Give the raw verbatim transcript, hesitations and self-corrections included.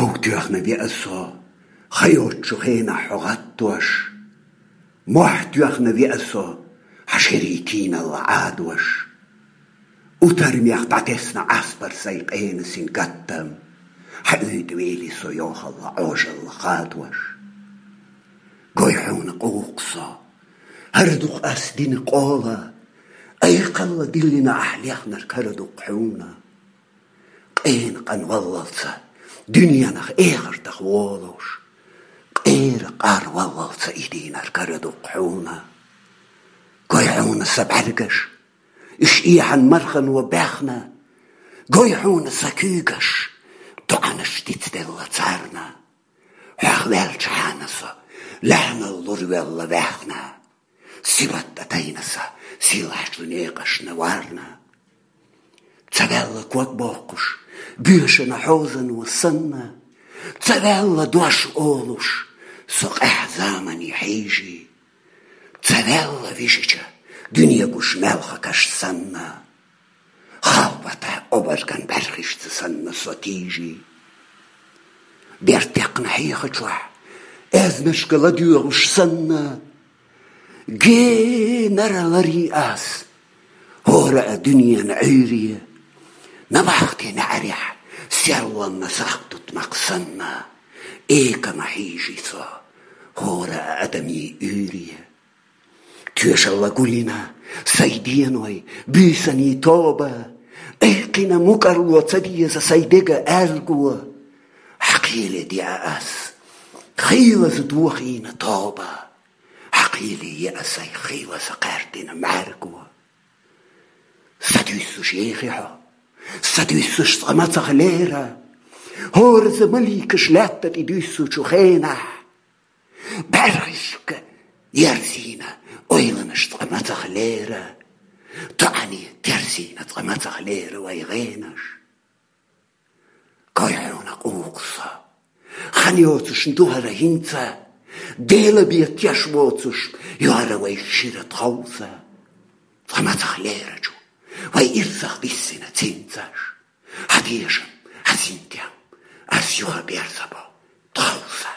Ӏовтоьхна веа со, ха йоцачу хенахь хьо гӀаттош. Мохь тоьхна веа со, хьан шерий тийналла Ӏадош. Утармех дӀатесна Ӏаспар сайн къена син гаттам, хьан уьйтӀа вели со йохалла Ӏожалла хадош. Гой хьуна къух со, хӀара дукха ас дина къола, айхалла диллина ахь лехнарг хӀара дукха хьуна. Къена къан валлалца, дуьненах эхартах волуш, къера къар валлалца и дийнар кара дукха хьуна. Гой хьуна сан бӀаьргаш, иш эхьан мархано баьхна. Гой хьуна сан куьйгаш, доӀанаш дицделла царна. Хьох ваьлча хьана со, лаьхьанал луравелла ваьхна. Сибат тӀа тайна сан, сийлахьчу некъашна варна. Ца ваьлла ког боккхуш, боьшана хьозано санна. Ца ваьлла дош олуш, со къаьхьа замане хьийжий. Ца ваьлла вижича, дуьне гуш маьлхакаш санна. Халбата обарган бӀаьрхишца санна со тийжий. Бертекхна хьехачохь, аьзнашка ладоьгӀуш санна, генара ларий ас хӀора а дуьненан Ӏуьйре. Набахти неӀарехь серлонна сах тутмакх санна, экама хьийжий со хӀора а адамийн уьйре. Тоьшалла гулйина сайн деной, буьйсанийн тоба, айкхина мукӀарло ца деза сайн дега аьрго. Хьан кхеле деа ас, хийлаза дохийна тоба, хьан кхеле еа сайн хийлаза кхаьрдина мӀаьрго. Са дуьссуш ехи хьо, са дуьссуш цкъа мацах лера, хӀораза маликаш лаьтта тӀе дуьссучу хенахь. БӀаьрхишка ерзийна ойланаш цкъа мацах лера, доӀане терзийна цкъа мацах лера вай гӀенаш. Гой хьуна къух со, хан йоцуш ду хӀара хӀинца, Дела бен теш воцуш, йора вай шира тховса. Цкъа мацах лерачу вай ирсах биссина цинцаш. Хьан тешам, хьан синтем, ас юха берзабо тховса.